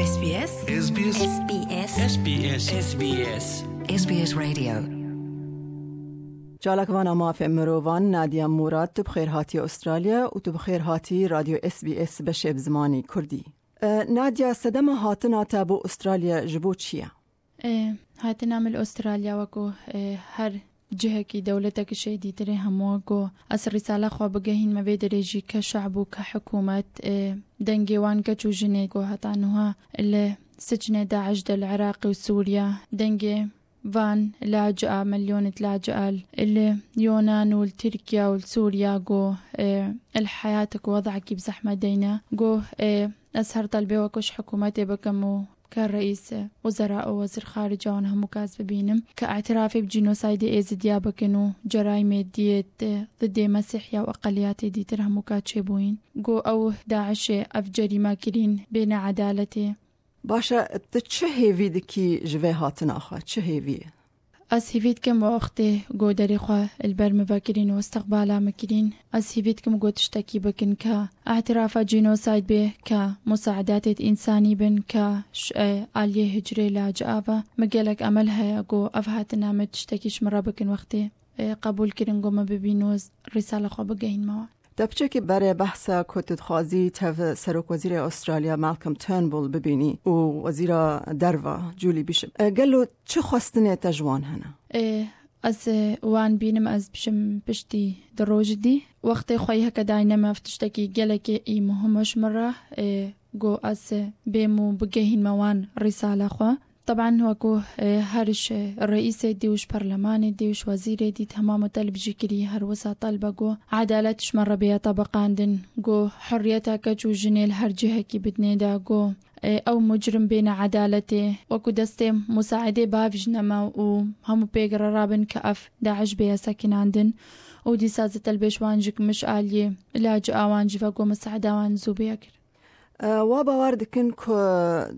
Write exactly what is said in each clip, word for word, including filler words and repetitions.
S B S. S B S. S B S. S B S. S B S. S B S Radio. Çalakvana mafê mirovan Nadia Murad, tu bi xêr hatiye Australya û tu bi xêr hatî Radyo S B S beşê bi zimanî Kurdî. E, Nadia, sedema hatina te bo Australya ji bo çi ye? E, hatina min li Australya weko, e, her cihekî dewletekî şêdîtirê hemû weko ez risala xwe bigehînme vê derê jî ke şe'b û ke hikûmet, e, dengê wan keç û jinê ku heta nuha li sicnê DAIŞ de li Iraqê û Sûriya, dengê van lacia, milyonit lacia li Yunan û li Tirkiye û li Sûriya ku, e, li heyatek û wed'ekî bi zehmet deyne. Ku, e, ez her telbê weko ji hikûmetê bikim û ke reîs wezera û wezîr xarica wan hemû kas bibînim, ke îtirafê bi cînosaydê Êzidiya bikin û cerayîmê diyê di didê Mesîhiya û eqeliyatê dîtir hemû ka çêbûyîn. Ku ew DAIŞê ev cerîme kirîn bê needaletê. Baş e, tu çi hêvî dikî ji vê hatina xwe? Çi hêvî ye? Ez hêvî dikim wextê ku derê xwe li ber min vekirîn û istiqbala min kirîn, ez hêvî dikim ku tiştekî bikin ke îtirafa cînosayd bê, ke musaedatê însanî bin, ke ş-, e, aliyê hicrê lacia ve. Min gelek emel heye ku ev hatina min tiştekî ji min re bikin wextê, e, qebûl kirin ku min bibîn û risala xwe bigehînme wan. Te piçekî berê behsa ku tu dixwazî tev Serokwezîrê Australya Malcolm Turnbull bibînî û Wezîra Derva Julie Bishop. E, gelo çi xwestinê te ji wan hene? E, ez, e, wan bînim, ez bişim piştî di roj dî. Wextê xwe yê heke dayne me, ev tiştekî gelekê î muhim e ji min re, e, ku ez, e, bêm û bigehînme wan risala xwe. Teban wekû, e, her ji reîsê dî û ji perlemanê dî û ji wezîrê dî temam û telb jî kirî, her wisa telbe ku edalet ji me re bêye tebiqandin, ku hurriyeta keç û jinê li her cihekî bidinê de, ku, e, ew mucrim bêne edaletê, wekû destê musaedê bavîjne me û hemû pêk re rabin ke ev DAIŞ bêye sekinandin û dîsa zî telbê ji wan jî ku min ji aliyê lacia wan jî ve ku musaeda wan zû bêye kir. E, wa bawer dikin ku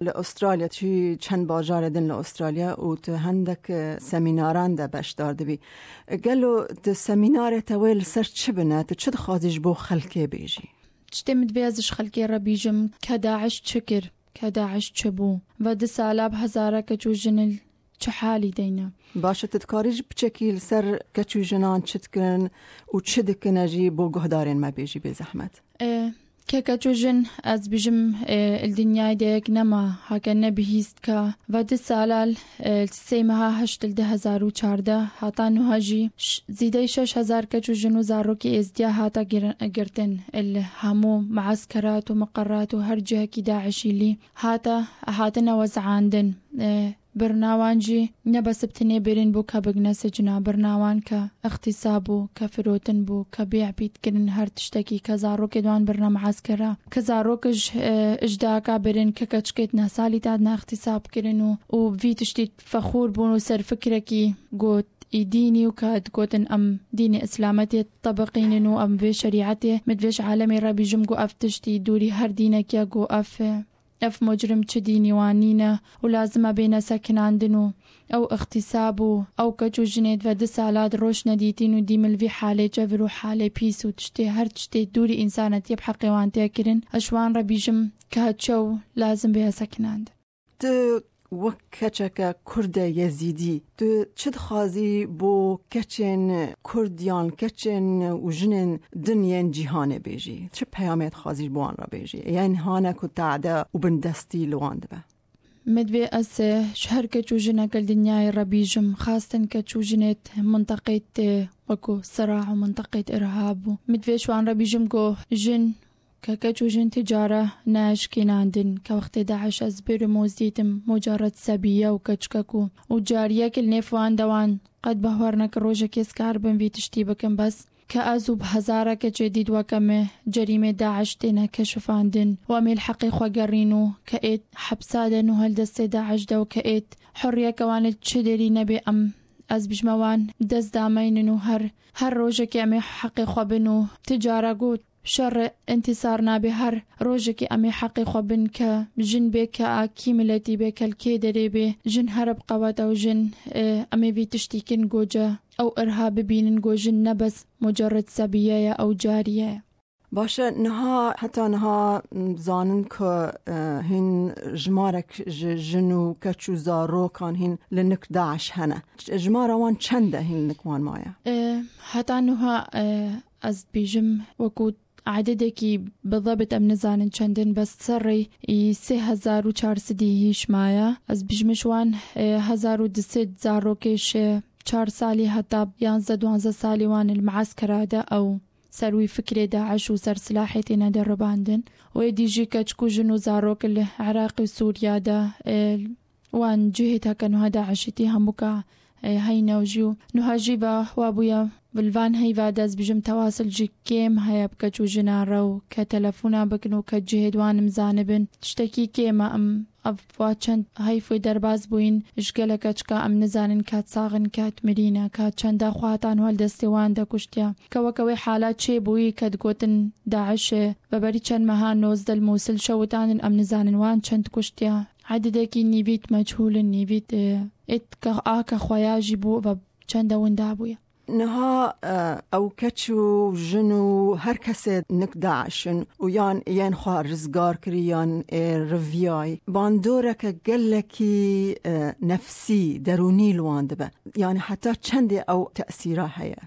li Australya, çi çend bajarê din li Australya û tu hendek, e, semînaran de beşdar dibî. E, gelo di semînarê te wê li ser çi bine? Tu çi dixwazî ji bo xelkê bêjî? Tiştê min divê ez ji xelkê re bîjim, ke DAIŞ çi kir, ke DAIŞ çi bû? Ve du sala bi hezara keç û jin li çi halî de ne? Baş e, tu dikarî ji piçekî li ser keç û jinan çi dikin û çi dikine jî bo guhdarên me bêjî bê zehmet? E, ke keç û jin, ez bijim, e, li dinyayê de yek nema, hake ne bihîst ka. Ve du sala, e, li sê meha heşt li du hezar û çardeh hata nuha jî ş-, zîdey şeş hezar keç û jin û zarokê Êzdiya hata gir-, girtin. Li hemû measkerat û miqerat û her cihekî DAIŞî lî hata, hatine wezandin. E, Birina wan jî ne bes bi tinê birin bû ke bigine sicna, birina wan ke îxtîsab bû, ke firotin bû, ke bê'bîd kirin her tiştekî, ke zarokê di wan birine measkera, ke zarok ji, e, ji dayika birin, ke keçikê di neh salî de hatine îxtîsab kirin û, û vî tiştî fexûr bûn û serfikrekî got î dînî û ke digotin em dînê îslametê tebiqînin û em vê şerîetê, min divê ji alemê re bîjim ku ev tiştî dûrî her dînekî ye, ku ev, e, Ev mocrim çi dînî wan nîne û lazim e bêne sekinandin û ew îxtîsab û ew keç û jinê di ve du sala di roj nedîtîn û dî min li vî halê çevir û halê pîs û tiştê her tiştê dûrî însanetiyê bi heqê wan tê kirin. Ez ji wan re bîjim ke çew lazim bê sekinandin. Tu wek keçeke Kurde Yezîdî, tu çi dixwazî bo keçên Kurd yan keçên û jinên din yên cîhanê bêjî? Çi peyamê dixwazî ji bo wan re bêjî? Yên hane ku tade û bindestî li wan dibe? Min divê ez, e, ji her keç û jineke li dinyayê re bîjim, xastin keç û jinêt minteqêt, e, wekû sira û minteqêt irhab bû. Min divê ji wan re bîjim ku jin Ke keç û jin ti cara neeşkînandin, ke wextê DAIŞ ez birim û zîtim mucerred sebiye û keçikek û, û cariyek li nêv wan de wan qet behwer neke rojekê ez karibim vî tiştî bikim, bes ke ez û bi hezara keçê dît weke me cerîmê DAIŞ têne keşifandin û em ê li heqê xwe gerîn û ke êt hepsa de nû hel destê DAIŞ de û ke êt hurriyeke wan li çi derî nebê em, ez bijme wan dest dameynin û her, her rojekê em ê heqê xwe bin û ti cara got, Şer e, întîsar nabe, her rojekê em ê heqê xwe bin, ke jin bê, ke a kî miletî bê, ke li kê derê bê, jin here bi qewet e û jin, e, em ê vî tiştî kin goce ew irha bibînin, go jin ne bes mucerred sebiye ye, ew cariye ye. Baş e, niha, heta niha, m, zanin ku, e, hîn jimarek ji jin û keç û zarokan hîn li nik DAIŞ hene. J-, jimara wan çend e hîn nik wan maye? E, heta niha, e, ez dibêjim, wekû ededekî bi zebit em nizanin çend in, bes serrê î sê hezar û çar sedî hîş maye. Ez dibêjim ji wan, e, hezar û du sed zarokê ji çar salî heta yanzdeh duwazdeh salî wan li me'eskera de ew ser wî fikrê DAIŞ û ser silahê têne deribandin. Wê dî jî keçik û jin û zarok li Iraq û Sûriya de, e, wan cihê heke nuha DAIŞ'î tî hemûka, e, heyne û jî û nuha jî va wa bûye. Li van heyva de ez bijim tewasil jî kêm heye bi keç û jina re û ke telefona bikin û ke cihê di wan im zanibin. Tiştekî kêm e, em ev wa çend heyf wê derbas bûyîn ji gelek keçika em nizanin kat sax in, kat mirî ne, kat çenda xwe hatan hol destê wan de kuştiya. Ke weke wê hala çê bûyî ke digotin DAIŞ e, veberî çend meha nozdeh li Mûsil şewitandin, em nizanin wan çend kuştiya. Ededekî nîvît meçhûl in, nîvît, e, êt ke a ke xweya jî bû ve çende winda bûye. Niha, e, ew keç û jin û her kesê nik DAIŞ in û yan yên xwe rizgar kirî yan ê riviyayî. Bandoreke gelekî, e, nefsî, derûnî li wan dibe. Yani heta çendê ew tesîra heye?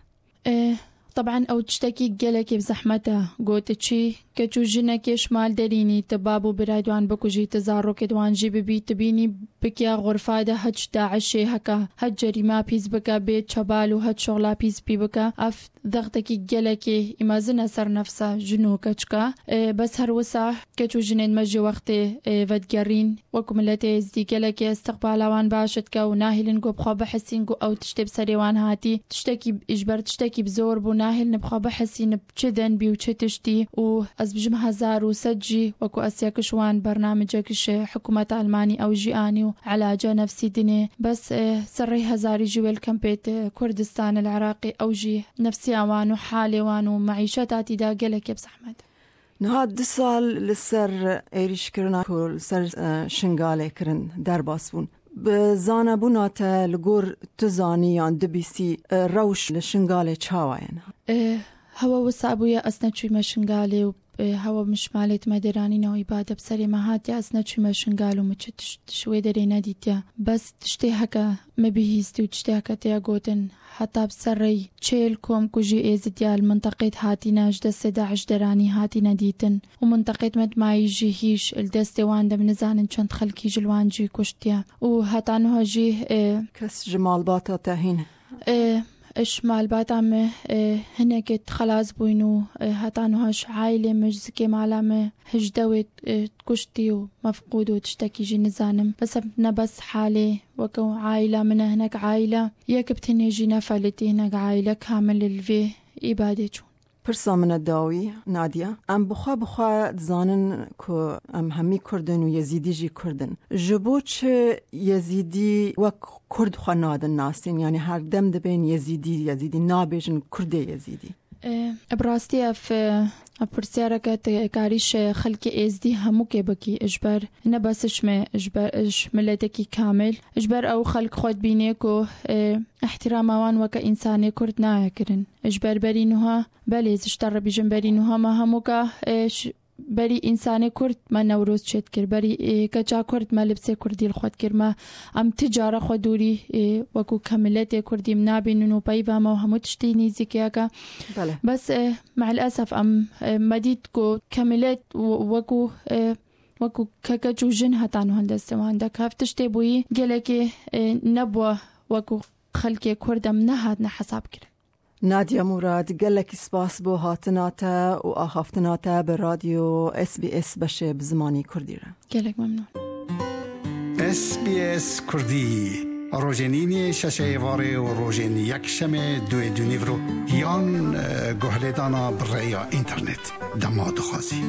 E, teb'en ew tiştekî gelekî bi zehmet e. Gotiçî, keç û jinekê ji mal derînî, tu bab û birayê wan bikujî, tu zarokê wan jî bibî, tu bînî bikiya xurfa de hiç DAIŞ'ê heka, hiç cerîma pîs bike, bê çebal û hiç şoxla pîs pî bike. Ev zextekî gelekî îmezin e ser nefsa jin û keçika. E, bes her wisa keç û jinên me jî wextê, e, vedigerîn, wekû miletê êzdî gelekê istiqbala wan baş dike û nahêlin ku bi xwe bihesîn ku ew tiştê bi serê wan hatî, tiştekî, ji ber tiştekî bi zor bû, nahêlin bi xwe bihesîn bi çi denbî û çi tiştî û ez bijim hezar û sed jî wekû ez yek ji wan bernamecek ji hikûmeta Almanî ew jî anî û elaca nefsî dinê. Bes, e, serrê hezarî jî wê li kempê di Kurdistan li Iraqê ew jî nefsiya wan û halê wan û meîşeta tî de gelekê bi zehmet e. Niha du sal li ser êrîşkirina ku li ser, e, Şingalê kirin derbas bûn. Bi zanebûna te li gor tu zanî yan dibîsî, e, rewş li Şingalê çawa ye niha? E, hewe wisa bûye ez neçûyme Şingalê û, e, hewe min ji malê me deranîne û îbade bi serê me hatiye ez neçûyme Şingal û min çi tişt ji wê derê nedîtiye. Bes tiştê heke me bihîstî û tiştê heke têya gotin, heta bi ser rey çêl kom ku jî êzidiya li minteqê hatîne ji destê DAIŞ deranî hatîne dîtin û minteqê me dimayî jî hîş li destê wan de, min nizanin çend xelkî ji li wan jî kuştiye û heta niha jî, e, kes ji malbata te hîn, e, ji malbata me, e, hinekê xelas bûyn û, e, heta niha ji aîlê me, ji zikê mala me, hejdeh wê, e, kuştî û mefqûd û tiştekî jî nizanim. Bes ev ne bes halê weke aîla min e, hinek aîla yek bi tenê jî nefelitî, hinek aîle kamil li vê îbadê çûn. Pirsa min e dawî, Nadia. Em bi xwe bi xwe dizanin ku em hemî Kurd in û Yezîdî jî Kurd in. Ji bo çi Yezîdî wek Kurd xwe nadin nasîn? Yani her dem dibên Yezîdî, Yezîdî nabêjin Kurdê Yezîdî. E, bi rastî ev, e, ev pirsyareke te karî ji xelkê êzdî hemûkê bikî, ji ber ne bes ji me, ji ber ji miletekî kamil, ji ber ew xelk xwe dibînê ku, e, îhtîrama wan weke însanê Kurd nayê kirin. Ji ber berî nuha, belê, ez ji te re bêjim, berî nuha me hemûka, e, ji berî însanê Kurd me Newroz çêdikir, berî, e, keça Kurd me libsê Kurdî li xwe dikir. Me, em ti cara xwe dûrî, e, wekû ke miletê Kurdî em nabînin û peyva me û hemû tiştî nîzîkiyeke. Belê. Bes, e, me'lesef em, e, me dît ku ke milet w-, wekû, e, wekû ke keç û jin heta niha destê wan de. Ke ev tiştê bûyî gelekê, e, nebû wekû xelkê Kurd em nehatine hesab kirin. Nadia Murad, gelekî spas bo hatina te û axaftina te bi radyo S B S beşê bi zimanî Kurdî re. Gelek memnûn. S B S Kurdî, rojên îniyê şeşê êvarê û rojên yekşemê duê dûnîvro yan, e, guhlêdana bi rêya înternet dema dixwazî.